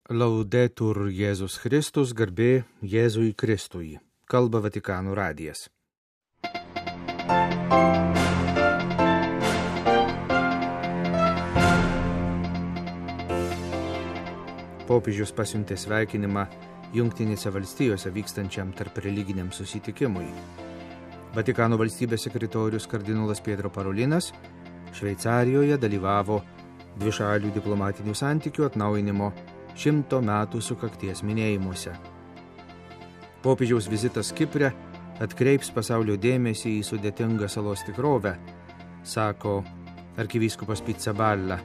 Laudetur Jėzus Kristus, garbė Jėzui Kristui. Kalba Vatikano radijas. Popiežius pasiuntė sveikinimą Jungtinėse valstijose vykstančiam tarp religiniam susitikimui. Vatikano valstybės sekretorius kardinolas Pietro Parolinas Šveicarijoje dalyvavo dvišalių diplomatinių santykių atnaujinimo 100 metų sukakties minėjimuose. Popiežiaus vizitas Kipre atkreips pasaulio dėmesį į sudėtingą salos tikrovę, sako arkivyskupas Pizzaballa,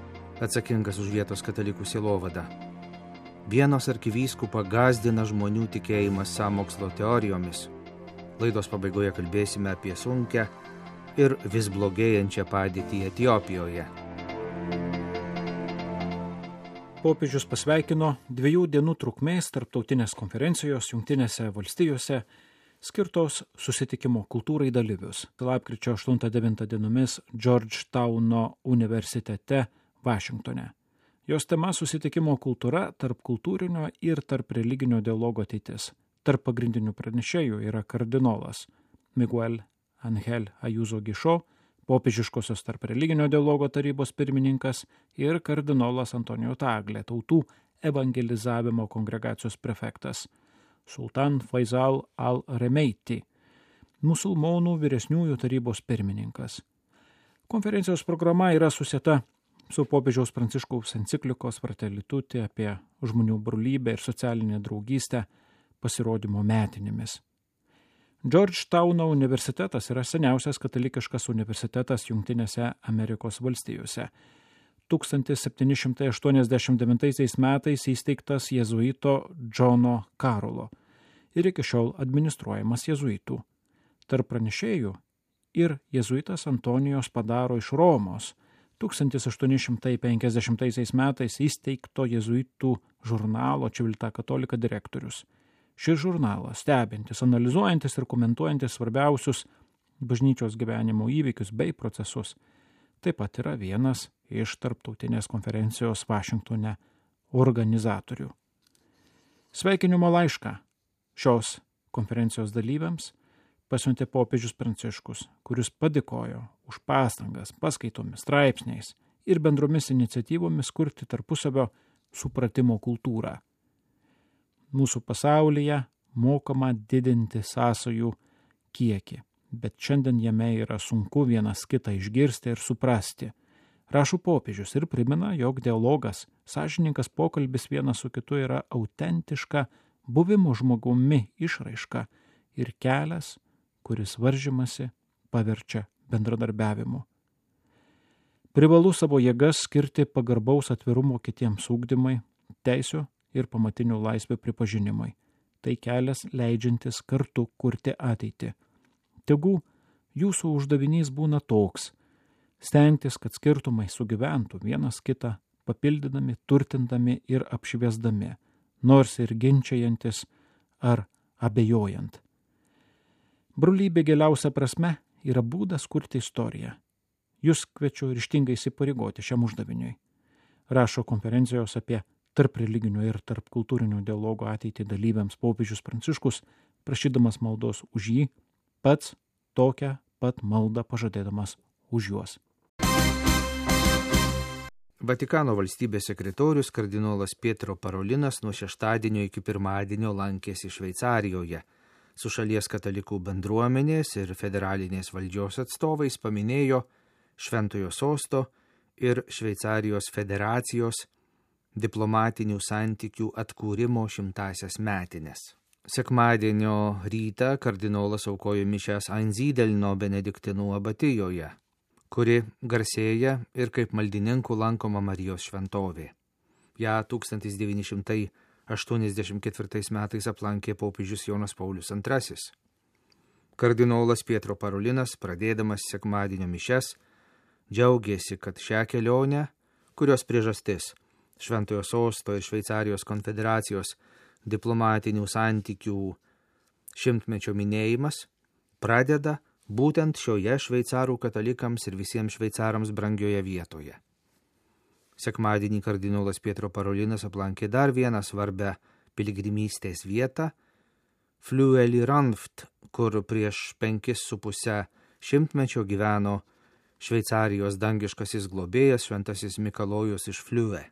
atsakingas už vietos katalikų sielovadą. Vienos arkivyskupą gąsdina žmonių tikėjimas sąmokslo teorijomis. Laidos pabaigoje kalbėsime apie sunkią ir vis blogėjančią padėtį Etiopijoje. Popiežius pasveikino 2 dienų trukmės tarptautinės konferencijos Jungtinėse valstijose skirtos susitikimo kultūrai dalyvius. Lapkričio 8-9 dienomis Georgetowno universitete Vašingtone. Jos tema susitikimo kultūra tarp kultūrinio ir tarp religinio dialogo ateitis. Tarp pagrindinių pranešėjų yra kardinolas Miguel Ángel Ayuso Gišo, popiežiškosios tarp religinio dialogo tarybos pirmininkas ir kardinolas Antonijo Tagle, tautų evangelizavimo kongregacijos prefektas, Sultan Faisal al-Remeiti, musulmonų vyresniųjų tarybos pirmininkas. Konferencijos programa yra susieta su popiežiaus Pranciškaus enciklikos Fratelli Tutti apie žmonių brolybę ir socialinę draugystę pasirodymo metinėmis. Georgetowno universitetas yra seniausias katalikiškas universitetas Jungtinėse Amerikos valstijose. 1789 metais įsteigtas jėzuito Džono Karolo ir iki šiol administruojamas jėzuitų. Tarp pranešėjų ir jėzuitas Antonijos Padaro iš Romos 1850 metais įsteigto jėzuitų žurnalo Civiltà Cattolica direktorius. Šis žurnalas, stebintis, analizuojantis ir komentuojantis svarbiausius bažnyčios gyvenimo įvykius bei procesus, taip pat yra vienas iš tarptautinės konferencijos Vašingtone organizatorių. Sveikinimo laišką šios konferencijos dalyviams pasiuntė popiežius Pranciškus, kuris padėkojo už pastangas paskaitomis, straipsniais ir bendromis iniciatyvomis kurti tarpusavio supratimo kultūrą. Mūsų pasaulyje mokama didinti sąsajų kiekį, bet šiandien jame yra sunku vienas kitą išgirsti ir suprasti. Rašo popiežius ir primena, jog dialogas, sąžiningas pokalbis vienas su kitu yra autentiška buvimo žmogumi išraiška ir kelias, kuris varžymasi paverčia bendradarbiavimu. Privalu savo jėgas skirti pagarbaus atvirumo kitiems ugdymai, teisių ir pamatinių laisvių pripažinimai. Tai kelias leidžiantis kartu kurti ateitį. Tegu jūsų uždavinys būna toks – stengtis, kad skirtumai sugyventų vienas kitą, papildydami, turtindami ir apšviesdami, nors ir ginčiajantis ar abejojant. Brolybė giliausia prasme yra būdas kurti istoriją. Jūs kviečiu ryžtingai įsipareigoti šiam uždaviniui. Rašo konferencijos apie tarp religinio ir tarp kultūrinio dialogo ateitį dalyviams popiežius Pranciškus, prašydamas maldos už jį, pats tokią pat maldą pažadėdamas už juos. Vatikano valstybės sekretorius kardinolas Pietro Parolinas nuo šeštadienio iki pirmadienio lankėsi Šveicarijoje. Su šalies katalikų bendruomenės ir federalinės valdžios atstovais paminėjo Šventojo sosto ir Šveicarijos federacijos diplomatinių santykių atkūrimo 100-asias metines. Sekmadienio rytą kardinolas aukojo mišias Einsidelno benediktinų abatijoje, kuri garsėja ir kaip maldininkų lankoma Marijos šventovė. Ja 1984 metais aplankė popiežius Jonas Paulius II. Kardinolas Pietro Parolinas, pradėdamas sekmadienio mišias, džiaugėsi, kad šią kelionę, kurios priežastis Šventojo sosto ir Šveicarijos konfederacijos diplomatinių santykių 100-mečio minėjimas pradeda būtent šioje šveicarų katalikams ir visiems šveicarams brangioje vietoje. Sekmadienį kardinolas Pietro Parolinas aplankė dar vieną svarbę piligrimystės vietą – Flüeli-Ranft, kur prieš 5,5 šimtmečio gyveno Šveicarijos dangiškasis globėjas šventasis Mikalojus iš Flüe.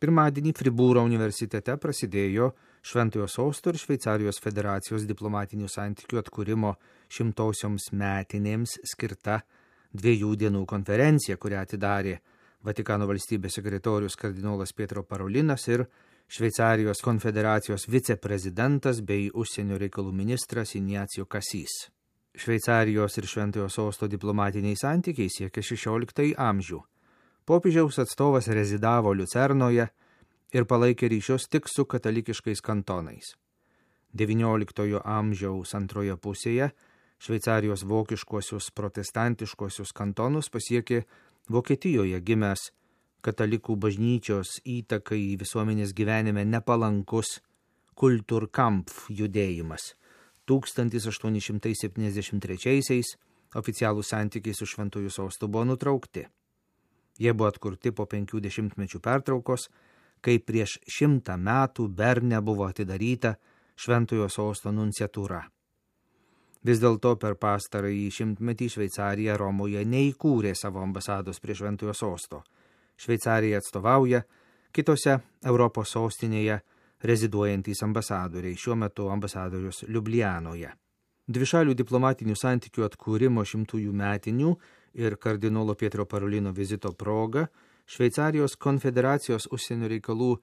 Pirmadienį Fribūro universitete prasidėjo Šventojo Sosto ir Šveicarijos federacijos diplomatinių santykių atkūrimo 100-osioms metinėms skirta 2 dienų konferencija, kurią atidarė Vatikano valstybės sekretorius kardinolas Pietro Parolinas ir Šveicarijos konfederacijos viceprezidentas bei užsienio reikalų ministras Ignacio Cassis. Šveicarijos ir Šventojo Sosto diplomatiniai santykiai siekia 16 amžių. Popiežiaus atstovas rezidavo Liucernoje ir palaikė ryšius tik su katalikiškais kantonais. 19 amžiaus antroje pusėje Šveicarijos vokiškuosius protestantiškuosius kantonus pasiekė Vokietijoje gimęs katalikų bažnyčios įtakai visuomenės gyvenime nepalankus Kulturkampf judėjimas. 1873 oficialūs santykiai su Šventuoju Sostu buvo nutraukti. Jie buvo atkurti po 50 metų pertraukos, kai prieš 100 metų Berne buvo atidaryta Šventojo Sosto nunciatūra. Vis dėlto per pastarąjį 100-metį Šveicarija Romoje neįkūrė savo ambasados prie Šventojo Sosto. Šveicarija atstovauja kitose Europos sostinėje reziduojantys ambasadoriai, šiuo metu ambasadorius Liublianoje. Dvišalių diplomatinių santykių atkūrimo 100-ųjų metinių ir kardinolo Pietro Parolino vizito proga Šveicarijos konfederacijos užsienio reikalų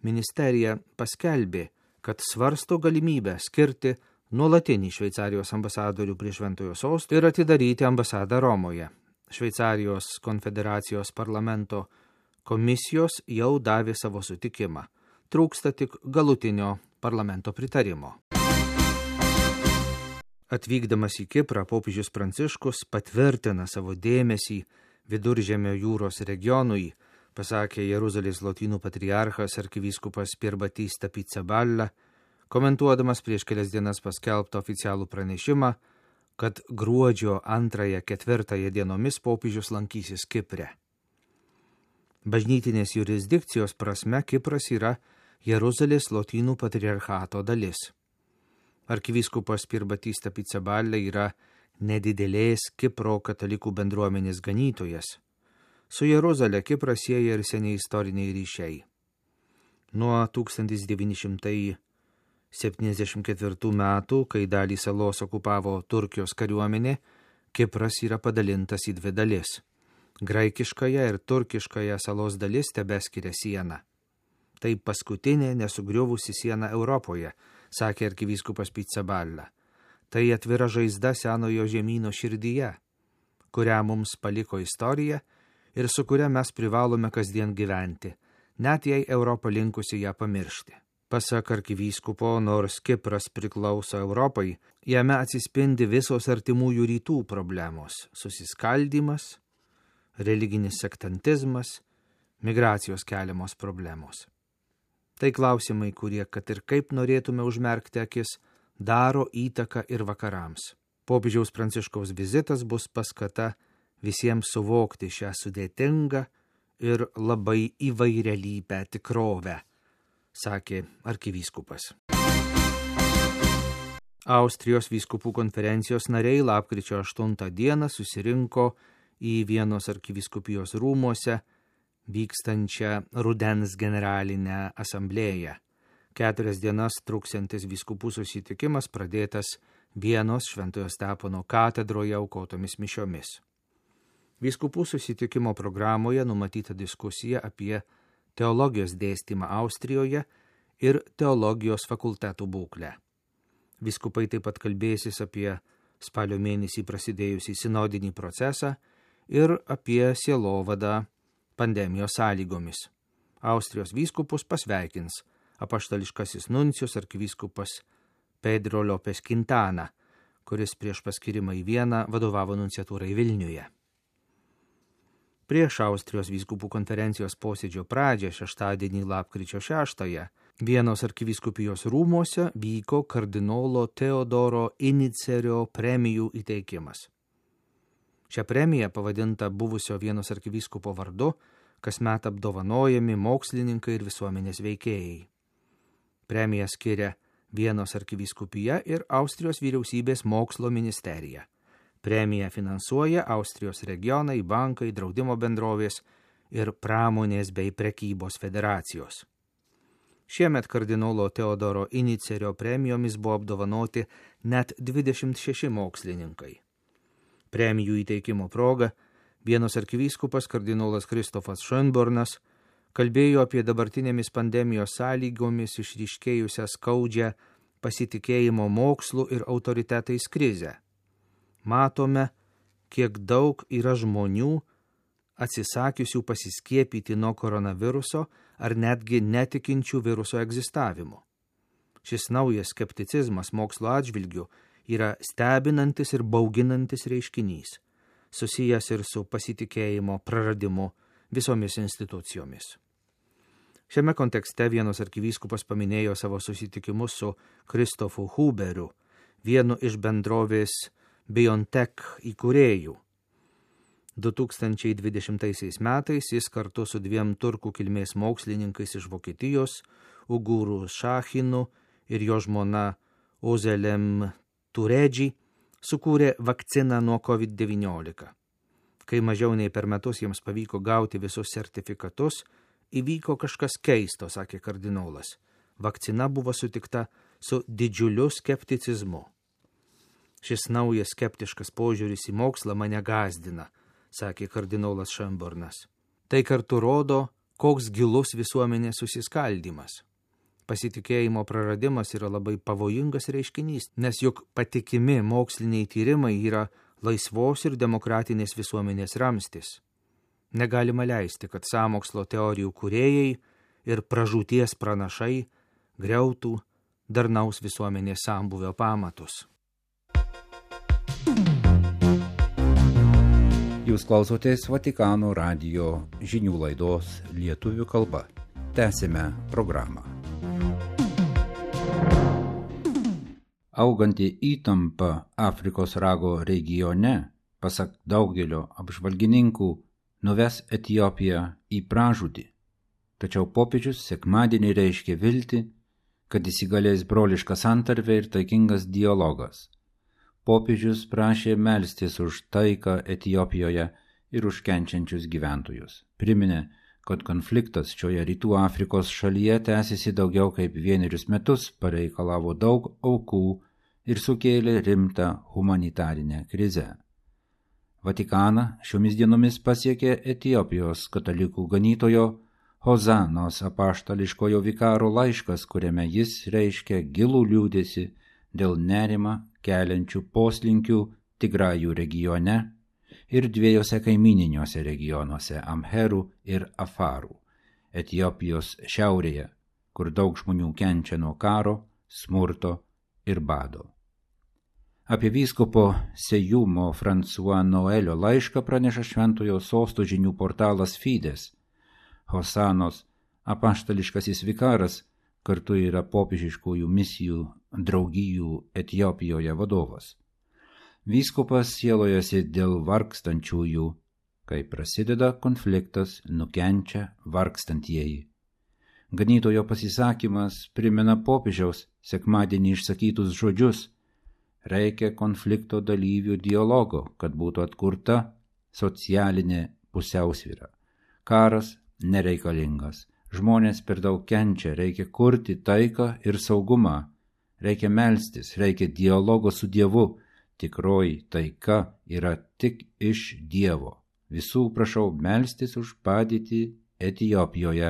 ministerija paskelbė, kad svarsto galimybę skirti nuolatinį Šveicarijos ambasadorių prie Šventojo Sosto ir atidaryti ambasadą Romoje. Šveicarijos konfederacijos parlamento komisijos jau davė savo sutikimą. Trūksta tik galutinio parlamento pritarimo. Atvykdamas į Kiprą, popiežius Pranciškus patvirtina savo dėmesį Viduržemio jūros regionui, pasakė Jeruzalės lotynų patriarchas arkivyskupas Pier Battista Pizzaballa, komentuodamas prieš kelias dienas paskelbtą oficialų pranešimą, kad gruodžio 2-4 dienomis popiežius lankysis Kipre. Bažnytinės jurisdikcijos prasme Kipras yra Jeruzalės lotynų patriarchato dalis. Arkivyskupas Pier Battista Pizzaballa yra nedidelės Kipro katalikų bendruomenės ganytojas. Su Jeruzalė Kiprą sieja ir seniai istoriniai ryšiai. Nuo 1974 metų, kai dalį salos okupavo Turkijos kariuomenė, Kipras yra padalintas į 2 dalis. Graikiškąją ir turkiškąją salos dalis tebeskiria sieną. Tai paskutinė nesugriuvusi siena Europoje, sakė arkivyskupas Pizzaballa. Tai atvira žaizda senojo žemyno širdyje, kurią mums paliko istorija ir su kuria mes privalome kasdien gyventi, net jei Europa linkusi ją pamiršti. Pasak arkivyskupo, nors Kipras priklauso Europai, jame atsispindi visos artimųjų rytų problemos – susiskaldymas, religinis sektantizmas, migracijos keliamos problemos. Tai klausimai, kurie, kad ir kaip norėtume užmerkti akis, daro įtaką ir vakarams. Popiežiaus Pranciškaus vizitas bus paskata visiems suvokti šią sudėtingą ir labai įvairialypę tikrovę, sakė arkivyskupas. Austrijos vyskupų konferencijos nariai lapkričio 8 dieną susirinko į Vienos arkivyskupijos rūmuose vykstančią rudens generalinę asamblėją. 4 dienas truksiantis vyskupų susitikimas pradėtas Vienos Šventojo Stepono katedroje aukotomis mišiomis. Vyskupų susitikimo programoje numatyta diskusija apie teologijos dėstymą Austrijoje ir teologijos fakultetų būklę. Vyskupai taip pat kalbėsis apie spalio mėnesį prasidėjusį sinodinį procesą ir apie sielovadą pandemijos sąlygomis. Austrijos vyskupus pasveikins apaštališkasis nuncijus arkivyskupas Pedro Lopes Quintana, kuris prieš paskirimą į Vieną vadovavo nunciatūrai Vilniuje. Prieš Austrijos vyskupų konferencijos posėdžio pradžią šeštadienį lapkričio 6 Vienos arkivyskupijos rūmuose vyko kardinolo Teodoro Inicerio premijų įteikimas. Šią premiją, pavadinta buvusio Vienos arkivyskupo vardu, kasmet apdovanojami mokslininkai ir visuomenės veikėjai. Premiją skiria Vienos arkivyskupija ir Austrijos vyriausybės mokslo ministerija. Premiją finansuoja Austrijos regionai, bankai, draudimo bendrovės ir pramonės bei prekybos federacijos. Šiemet kardinolo Teodoro Inicerio premijomis buvo apdovanoti net 26 mokslininkai. Premijų įteikimo proga Vienos arkivyskupas kardinolas Kristofas Schönbornas kalbėjo apie dabartinėmis pandemijos sąlygomis išryškėjusią skaudžią pasitikėjimo mokslu ir autoritetais krizę. Matome, kiek daug yra žmonių atsisakiusių pasiskiepyti nuo koronaviruso ar netgi netikinčių viruso egzistavimu. Šis naujas skepticizmas mokslo atžvilgiu yra stebinantis ir bauginantis reiškinys, susijęs ir su pasitikėjimo praradimu visomis institucijomis. Šiame kontekste Vienos arkivyskupas paminėjo savo susitikimus su Kristofu Huberiu, vienu iš bendrovės BioNTech įkūrėjų. 2020 metais jis kartu su 2 turkų kilmės mokslininkais iš Vokietijos, Uguru Šachinu ir jo žmona Ozelem Turedži, sukūrė vakciną nuo COVID-19. Kai mažiau nei per metus jiems pavyko gauti visus sertifikatus, įvyko kažkas keisto, sakė kardinolas. Vakcina buvo sutikta su didžiuliu skepticizmu. Šis naujas skeptiškas požiūris į mokslą mane gąsdina, sakė kardinolas Schönbornas. Tai kartu rodo, koks gilus visuomenės susiskaldymas. Pasitikėjimo praradimas yra labai pavojingas reiškinys, nes juk patikimi moksliniai tyrimai yra laisvos ir demokratinės visuomenės ramstis. Negalima leisti, kad sąmokslo teorijų kūrėjai ir pražūties pranašai griautų darnaus visuomenės sambūvio pamatus. Jūs klausotės Vatikano radijo žinių laidos lietuvių kalba. Tęsime programą. Auganti įtampa Afrikos rago regione, pasak daugelio apžvalgininkų, nuves Etiopiją į pražūtį. Tačiau popiežius sekmadienį reiškė viltį, kad įsigalės broliška santarvė ir taikingas dialogas. Popiežius prašė melstis už taiką Etiopijoje ir už kenčiančius gyventojus. Priminė, kad konfliktas šioje rytų Afrikos šalyje tęsiasi daugiau kaip 1 metus, pareikalavo daug aukų ir sukėlė rimtą humanitarinę krizę. Vatikaną šiomis dienomis pasiekė Etiopijos katalikų ganytojo Hozanos apaštališkojo vikaro laiškas, kuriame jis reiškia gilų liūdesį dėl nerimą keliančių poslinkių Tigrajų regione ir 2 kaimininiuose regionuose Amherų ir Afarų, Etiopijos šiaurėje, kur daug žmonių kenčia nuo karo, smurto ir bado. Apie vyskupo Sejumo François Noelio laišką praneša Šventojo Sosto žinių portalas Fides. Hosanos apaštališkasis vikaras kartu yra popiežiškųjų misijų draugijų Etiopijoje vadovas. Vyskupas sielojasi dėl vargstančiųjų, kai prasideda konfliktas, nukenčia vargstantieji. Ganytojo pasisakymas primena popiežiaus sekmadienį išsakytus žodžius: reikia konflikto dalyvių dialogo, kad būtų atkurta socialinė pusiausvyra. Karas nereikalingas, žmonės per daug kenčia, reikia kurti taiką ir saugumą, reikia melstis, reikia dialogo su Dievu. Tikroji taika yra tik iš Dievo. Visų prašau melstis už padėtį Etiopijoje,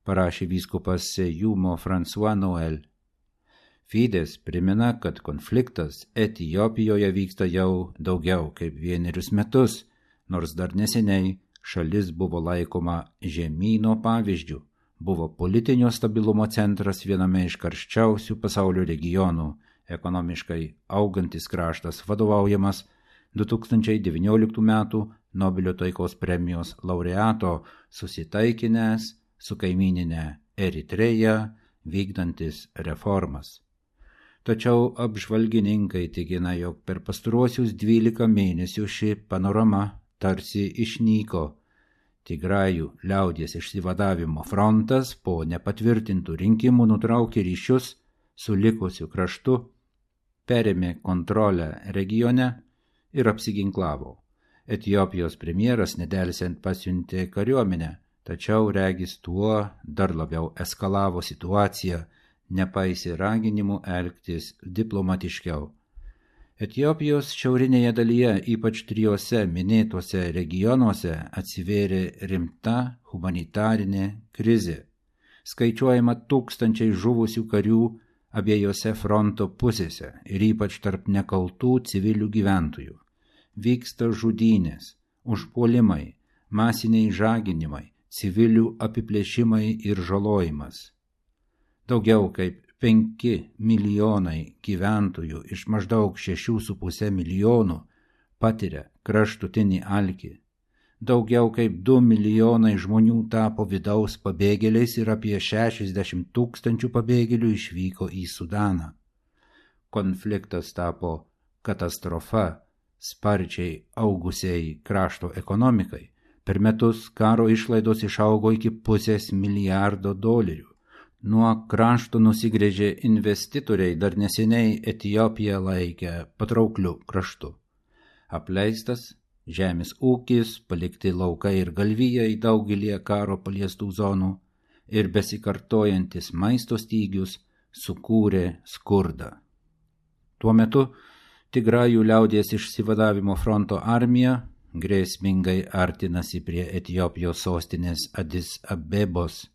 parašė vyskupas Sejumo François Noel. Fides primena, kad konfliktas Etiopijoje vyksta jau daugiau kaip 1 metus, nors dar neseniai šalis buvo laikoma žemyno pavyzdžiu, buvo politinio stabilumo centras viename iš karščiausių pasaulio regionų, ekonomiškai augantis kraštas vadovaujamas 2019 metų Nobelio taikos premijos laureato susitaikinęs su kaimyninė Eritreja vykdantis reformas. Tačiau apžvalgininkai tikina, jog per pastaruosius 12 mėnesių ši panorama tarsi išnyko. Tigrajų liaudies išsivadavimo frontas po nepatvirtintų rinkimų nutraukė ryšius su likusiu kraštu, perėmė kontrolę regione ir apsiginklavo. Etiopijos premjeras nedelsiant pasiuntė kariuomenę, tačiau regis tuo dar labiau eskalavo situaciją, nepaisė raginimų elgtis diplomatiškiau. Etiopijos šiaurinėje dalyje, ypač 3 minėtuose regionuose, atsivėrė rimta humanitarinė krizė. Skaičiuojama tūkstančiai žuvusių karių abiejose fronto pusėse ir ypač tarp nekaltų civilių gyventojų. Vyksta žudynės, užpuolimai, masiniai žaginimai, civilių apiplėšimai ir žalojimas. Daugiau kaip 5 milijonai gyventojų iš maždaug 6,5 milijonų patiria kraštutinį alkį. Daugiau kaip 2 milijonai žmonių tapo vidaus pabėgėliais ir apie 60 000 pabėgėlių išvyko į Sudaną. Konfliktas tapo katastrofa sparčiai augusiai krašto ekonomikai. Per metus karo išlaidos išaugo iki $500 milijardo. Nuo krašto nusigręžė investitoriai, dar neseniai Etiopiją laikė patraukliu kraštu. Apleistas žemės ūkis, palikti laukai ir galvijai daugelį karo paliestų zonų ir besikartojantis maisto stygius sukūrė skurdą. Tuo metu Tigrajų liaudies išsivadavimo fronto armija grėsmingai artinasi prie Etiopijos sostinės Adis Abebos.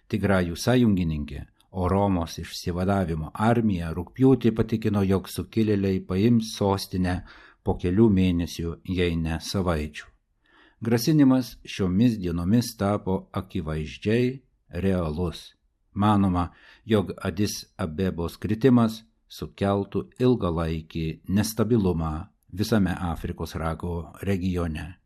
Tigrajų sąjungininkė, o Romos išsivadavimo armija rugpjūtį patikino, jog sukilėliai paims sostinę po kelių mėnesių, jei ne savaičių. Grasinimas šiomis dienomis tapo akivaizdžiai realus. Manoma, jog Adis Abebos kritimas sukeltų ilgalaikį nestabilumą visame Afrikos rago regione.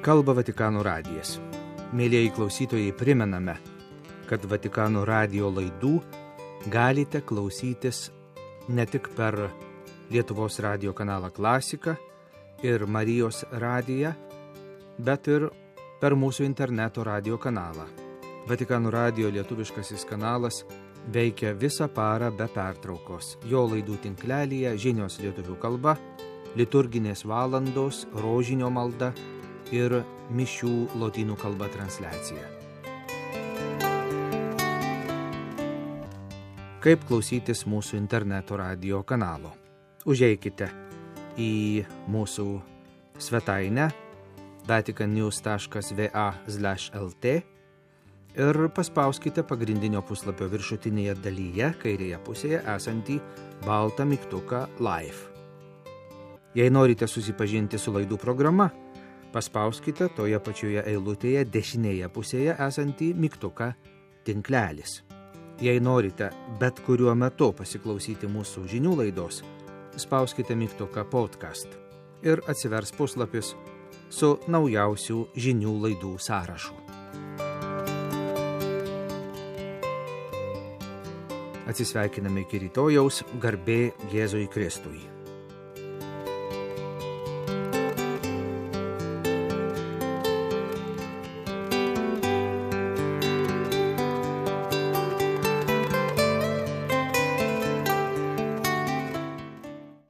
Kalba Vatikano radijas. Mėlieji klausytojai, primename, kad Vatikano radijo laidų galite klausytis ne tik per Lietuvos radijo kanalą Klasika ir Marijos radiją, bet ir per mūsų interneto radijo kanalą. Vatikano radijo lietuviškasis kanalas veikia visą parą be pertraukos. Jo laidų tinklelyje žinios lietuvių kalba, liturginės valandos, rožinio malda ir mišių lotynų kalba transliacija. Kaip klausytis mūsų interneto radijo kanalo? Užeikite į mūsų svetainę vaticannews.va/lt ir paspauskite pagrindinio puslapio viršutinėje dalyje kairėje pusėje esantį baltą mygtuką Live. Jei norite susipažinti su laidų programa, paspauskite toje pačioje eilutėje dešinėje pusėje esantį mygtuką Tinklelis. Jei norite bet kuriuo metu pasiklausyti mūsų žinių laidos, spauskite mygtuką Podcast ir atsivers puslapis su naujausių žinių laidų sąrašu. Atsisveikiname iki rytojaus, garbė Jėzui Kristui.